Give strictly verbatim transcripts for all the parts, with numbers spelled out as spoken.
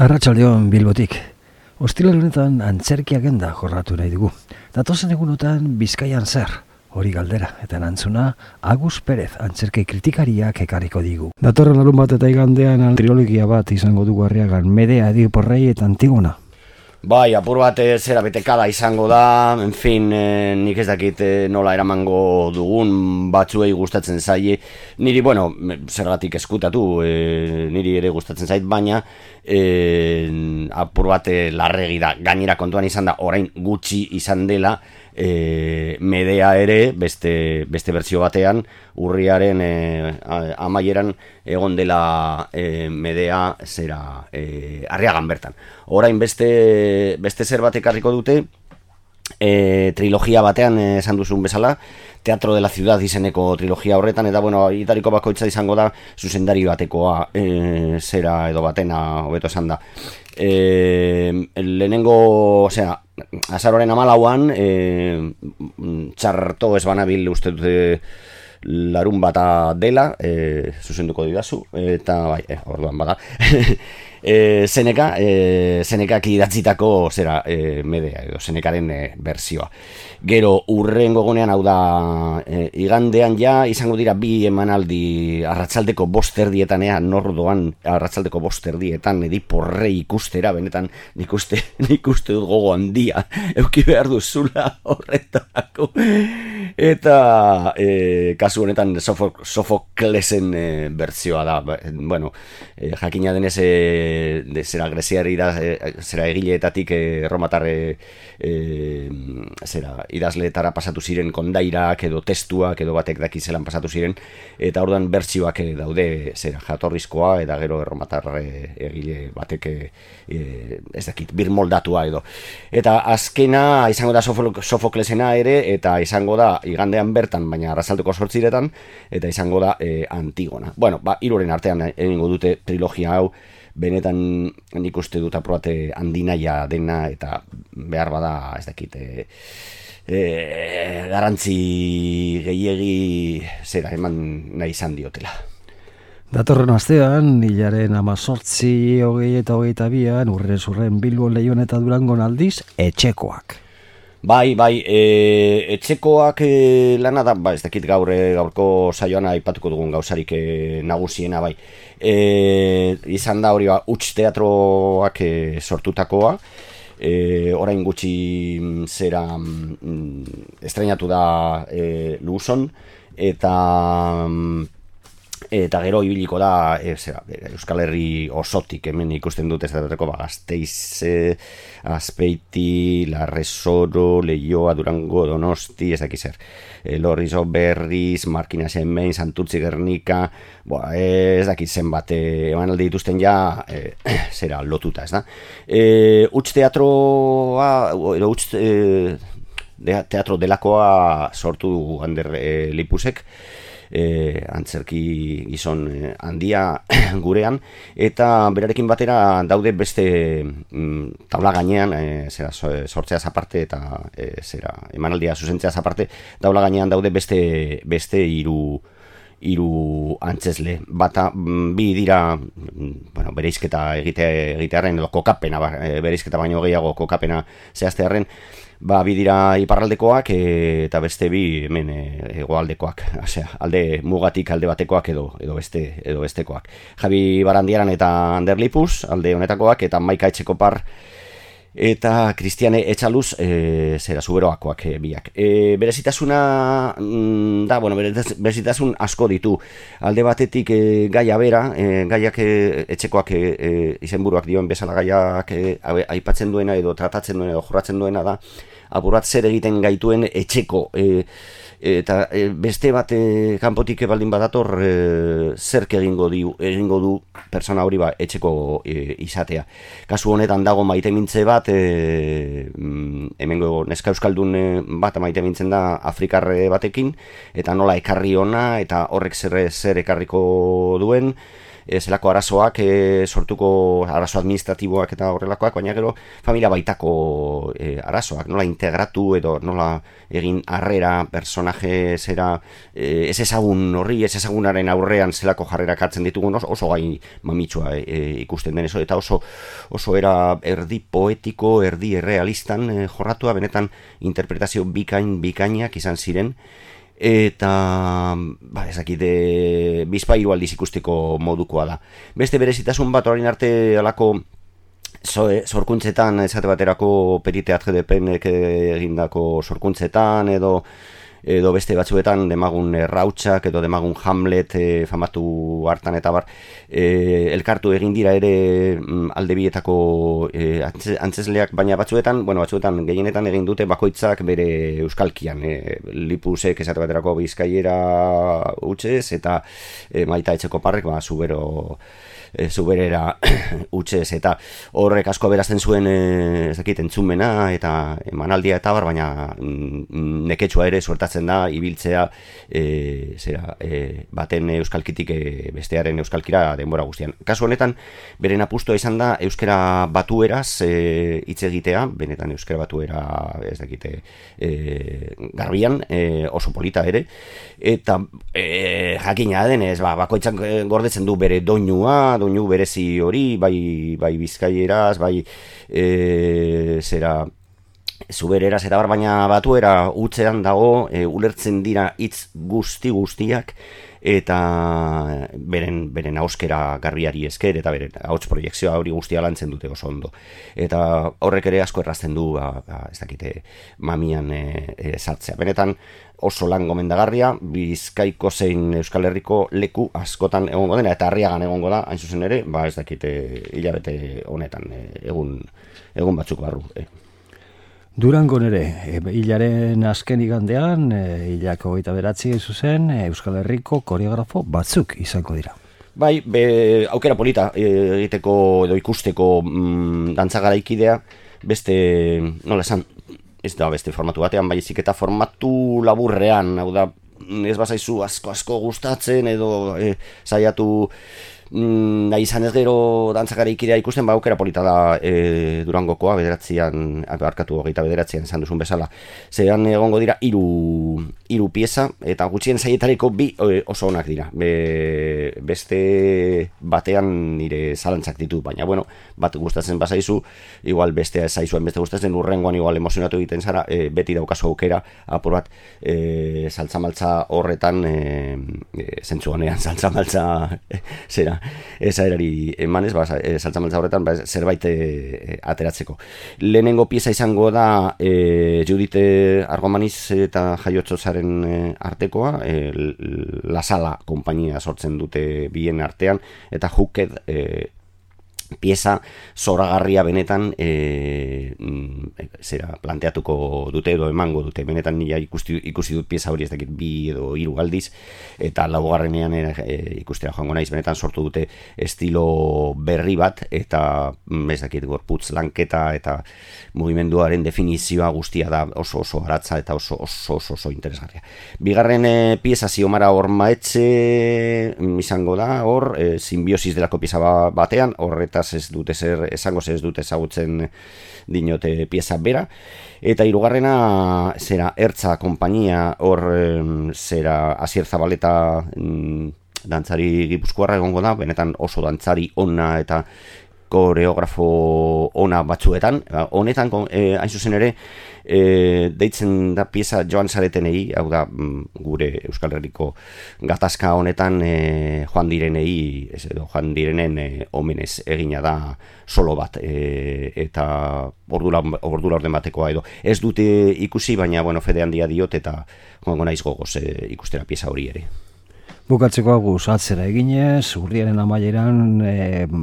Arratsaldeon Bilbotik. Ostiral honetan antzerki agenda jorratu nahi dugu. Datozen egunotan Bizkaian zer, hori galdera, eta erantzuna Agus Perez antzerki kritikariak ekarriko digu. Datorren larun bat eta igandean trilogia bat izango dugu Arriagan, Medea, Ediporrei eta Antigona. Bai, apur bat zera betekada izango da, en fin, eh, nik ez dakit eh, nola eramango dugun, batzuei gustatzen zaie, niri, bueno, zergatik eskutatu, eh, niri ere gustatzen zait, baina eh, apur bat eh, larregi da, gainera kontuan izan da, orain gutxi izan dela, E, Medea ere beste, beste bertsio batean urriaren e, amaieran egon dela e, Medea zera e, Arriagan bertan. Orain beste, beste zer bat ekarriko dute e, trilogia batean esan duzun bezala, Teatro de la Ciudad izeneko trilogia horretan, eta bueno, itariko bakoitza izango da zuzendari batekoa e, zera edo batena hobeto esan da. E, lehenengo, osea, azaroren amalauan e, txarto ez banabil uste dute larun bata dela, e, zuzenduko didazu, eta bai, e, orduan bada e, Seneka e, Senekak idatzitako zera e, Medea edo Senekaren e, bersioa. Gero urrengo egunean, hau da e, igandean ja izango dira bi emanaldi arratsaldeko bost erdietan, ea nordoan arratsaldeko bost erdietan Ediporrei ikustera, benetan nik uste, nik uste dut gogo handia euki behar duzula horretarako, eta e, kasu honetan Sofok, Sofoklesen e, bertsioa da. Bueno, e, jakina denez e, de zera greziari da, e, zera egileetatik e, erromatarre e, zera idazleetara pasatu ziren kondairak edo testuak edo batek daki zelan pasatu ziren, eta orduan bertsioak daude zera jatorrizkoa eta gero erromatarre egile batek e, ez dakit birmoldatua edo. Eta azkena izango da Sofoklesena ere, eta izango da igandean bertan, baina arratsaldeko zortziretan, eta izango da e, Antigona. Bueno, ba, hiruren artean egingo dute trilogia hau, benetan nik uste dut aprobate handinaia dena, eta behar bada ez dakit e, e, garantzi gehiegi zera eman nahi izan diotela. Datorren astean, hilaren amazortzi, hogei eta hogeita bian, urren zurren Bilbon, Leion eta Durangon aldiz, etxekoak. Bai, bai, e, etxekoak e, lana da, ba, ez dakit gaur, e, gaurko saioan aipatuko dugun gauzarik e, nagusiena, bai. E, izan da hori ba, huts teatroak e, sortutakoa, e, orain gutxi zera mm, estrenatu da e, Luzon, eta... eta gero ibiliko da e, zera, Euskal Herri osotik, hemen ikusten dut ez dateko ba, Gasteiz, e, Azpeiti, Larresoro, Leioa, Durango, Donosti, ez dakiz zer, e, Lorrizo, Berriz, Markinas hemen, Santurtzi, Gernika, boa, ez dakiz zenbat e, emanaldi dituzten ja e, zera lotuta, ez da. E, Huts teatroa, edo huts e, teatro delakoa sortu du Ander e, Lipusek, E, antzerki gizon e, handia gurean, eta berarekin batera daude beste mm, tabla gainean, e, zera, sortzeaz aparte eta e, zera, emanaldia zuzentzeaz aparte, tabla gainean daude beste beste hiru hiru antzesle. Bata, bi dira, bueno, bereizketa egite, egitearen, edo kokapena, bereizketa baino gehiago kokapena zehaztearen, ba, bi dira iparraldekoak e, eta beste bi hemen hegoaldekoak, osea, alde mugatik alde batekoak edo edo beste edo bestekoak. Javi Barandiaran eta Ander Lipus alde honetakoak, eta Maika Etxekopar eta Kristiane Etxaluz e, zera zuberoakoak e, biak. E, berezitasuna mm, da, bueno, berezitasun asko ditu. Alde batetik e, gaia bera, e, gaiak e, etxekoak e, e, izenburuak dioen bezala gaiak e, aipatzen duena edo tratatzen duena edo jorratzen duena da, apurat zer egiten gaituen etxeko e, eta e, beste bat e, kanpotik baldin badator e, zerk egingo, di, egingo du persona hori ba, etxeko e, izatea. Kasu honetan dago maite mintze bat, e, hemengo neska euskaldun bat maite mintzen da afrikarre batekin, eta nola ekarri ona, eta horrek zer, zer ekarriko duen, e, zelako arazoak e, sortuko, arazo administratiboak eta horrelakoak, baina gero familia baitako e, arazoak, nola integratu edo nola egin harrera personaje zera e, ez ezagun horri, ez ezagunaren aurrean zelako jarrerak hartzen ditugun oso, oso gai mamitsua e, ikusten den, eta oso, oso era erdi poetiko, erdi errealistan e, jorratua, benetan interpretazio bikain bikainak izan ziren, eta ba, ezakite bizpairu aldiz ikusteko modukoa da. Beste berezitasun bat orain arte alako sorkuntzetan, esate baterako Periteat G D P-nek egindako sorkuntzetan, edo edo beste batzuetan demagun Rautsak edo demagun Hamlet e, famatu hartan eta bar e, elkartu egin dira ere alde bietako e, antzesleak, baina batzuetan, bueno, batzuetan gehienetan egin dute bakoitzak bere euskalkian, e, Lipusek esate baterako Bizkaiera hutsez eta e, Maita Etxekoparrek ba Zubero e, Zuberera hutsez, eta horrek asko berazten zuen e, ez dakit entzumena eta emanaldia eta bar, baina mm, neketsua ere suertatzen da ibiltzea e, zera, e, baten euskalkitik e, bestearen euskalkira denbora guztian. Kasu honetan, beren apustua izan da euskera batueraz e, hitz egitea, benetan euskera batuera ez dakite e, garbian, e, oso polita ere, eta e, jakina denez, ba, bakoitzak gordetzen du bere doinua, doinu berezi hori, bai, bai bizkaieraz, bai e, zera Zubereraz eta bar, baina batuera utzean dago, e, ulertzen dira hitz guzti guztiak eta beren beren ahoskera garbiari esker eta beren ahots proiekzioa hori guztia lantzen dute oso ondo. Eta horrek ere asko errazten du, ba, ba, ez dakite, mamian e, e, sartzea. Benetan oso lan gomendagarria, Bizkaiko zein Euskal Herriko leku askotan egongo dena, eta Arriagan egongo da, hain zuzen ere, ba ez dakite hilabete honetan, e, egun, egun batzuk barru. E. Durangon ere, hilaren azken igandean, hilako hogeita beratzi zuzen, Euskal Herriko koreografo batzuk izango dira. Bai, be, aukera polita egiteko edo ikusteko mm, dantza garaikidea, beste, nola esan, ez da beste formatu batean, baizik eta formatu laburrean, hau da, ez bazaizu asko asko gustatzen edo e, saiatu Mm, nahi izan ez gero dantzakaraikidea ikusten, ba aukera polita da e, Durangokoa, bederatzian, arkatu hogeita bederatzian esan duzun bezala. Zeran egongo dira hiru hiru pieza, eta gutxien zaietariko bi e, oso onak dira. Be, beste batean nire zalantzak ditu, baina bueno, bat gustatzen bazaizu, igual beste zaizuen beste gustatzen, urrengoan igual emozionatu egiten zara, e, beti daukazu aukera, apur bat, e, saltzamaltza horretan, e, e, zentzu honean, saltzamaltza e, zera, eza erari emanez, ba, saltzamaltza horretan ba, zerbait e, ateratzeko. Lehenengo pieza izango da e, Judite Argomaniz eta Jaiotzozaren e, artekoa, e, La Sala konpainia sortzen dute bien artean, eta Hooked e, pieza zoragarria benetan e, zera planteatuko dute edo emango dute, benetan nila ikusi, ikusi dut pieza hori ez dakit bi edo hiru aldiz, eta laugarrenean e, ikustera joango naiz, benetan sortu dute estilo berri bat, eta ez dakit gorputz lanketa eta mugimenduaren definizioa guztia da oso oso aratza eta oso oso oso, oso interesgarria. Bigarren e, pieza Ziomara Ormaetxe izango da, hor, e, simbiosis delako pieza batean, horreta ez dute zer, esango ez dute ezagutzen dinote pieza bera, eta hirugarrena zera Ertza konpainia, hor zera Asier Zabaleta mm, dantzari gipuzkoarra egongo da, benetan oso dantzari ona eta koreografo ona batzuetan, honetan eh, hain zuzen ere e, deitzen da pieza joan zaretenei, hau da gure Euskal Herriko gatazka honetan e, joan direnei, ez edo joan direnen e, omenez egina da solo bat, e, eta ordula, ordula orden batekoa edo. Ez dute ikusi, baina bueno, fede handia diot eta joango naiz gogoz e, ikustera pieza hori ere. Bukatzeko aguz atzera eginez, urriaren amaieran e,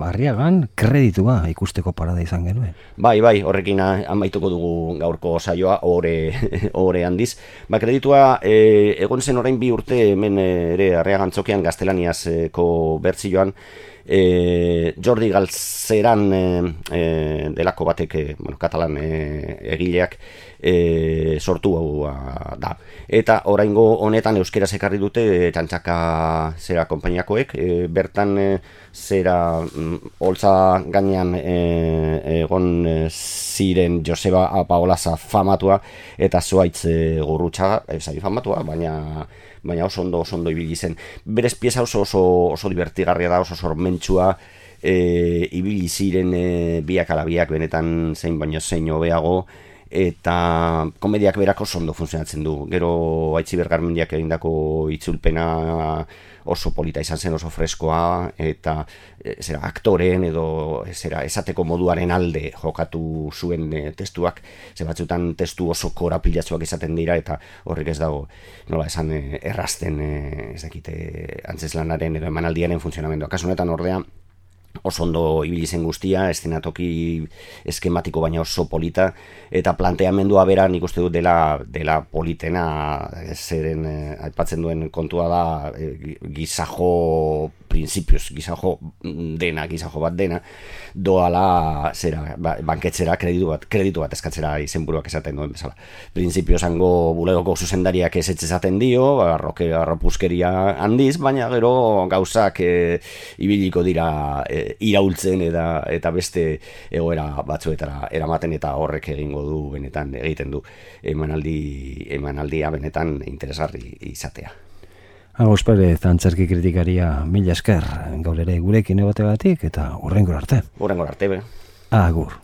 Arriagan kreditua ikusteko parada izan genuen. Bai, bai, horrekin amaituko dugu gaurko saioa, ore, ore handiz. Ba, kreditua e, egon zen orain bi urte hemen ere Arriagan txokean gaztelaniazko bertzioan, E, Jordi Galzeran e, e, delako batek, e, bueno, katalan e, egileak e, sortu hau da. Eta oraingo honetan euskeraz ekarri dute e, txantxaka zera konpainiakoek, e, bertan e, zera mm, holtza gainean e, egon e, ziren Joseba Paolaza famatua eta Zuaitz e, Gurrutxaga, ez ari famatua, baina baina oso ondo, oso ondo ibili zen. Berez pieza oso oso, oso divertigarria da, oso sormentsua, e, ibili ziren e, biak ala biak benetan zein baino zein hobeago, eta komediak berak oso ondo funtzionatzen du. Gero Aitziber Garmendiak egindako itzulpena oso polita izan zen, oso freskoa, eta e, zera, aktoren edo zera, esateko moduaren alde jokatu zuen e, testuak, ze batzutan testu oso korapilatsuak izaten dira, eta horrek ez dago, nola esan, e, errazten e, ez dakite, antzeslanaren edo emanaldiaren funtzionamendoa. Kasu honetan ordea, oso ondo ibili zen guztia, eszenatoki eskematiko baina oso polita, eta planteamendua bera nik uste dut dela, dela politena, zeren eh, aipatzen duen kontua da eh, gizajo prinsipios, gizajo dena, gizajo bat dena, doala zera, ba, banketzera kreditu bat, kreditu bat eskatzera izenburuak esaten duen bezala. Printzipio esango bulegoko zuzendariak ez esaten dio, arroke, arropuzkeria handiz, baina gero gauzak e, ibiliko dira e, iraultzen eta, eta beste egoera batzuetara eramaten, eta horrek egingo du benetan egiten du emanaldi, emanaldia benetan interesgarri izatea. Agus Perez, antzerki kritikaria, mila esker, gaur ere gurekin egoteagatik eta hurrengora arte. Hurrengora arte, be. Agur.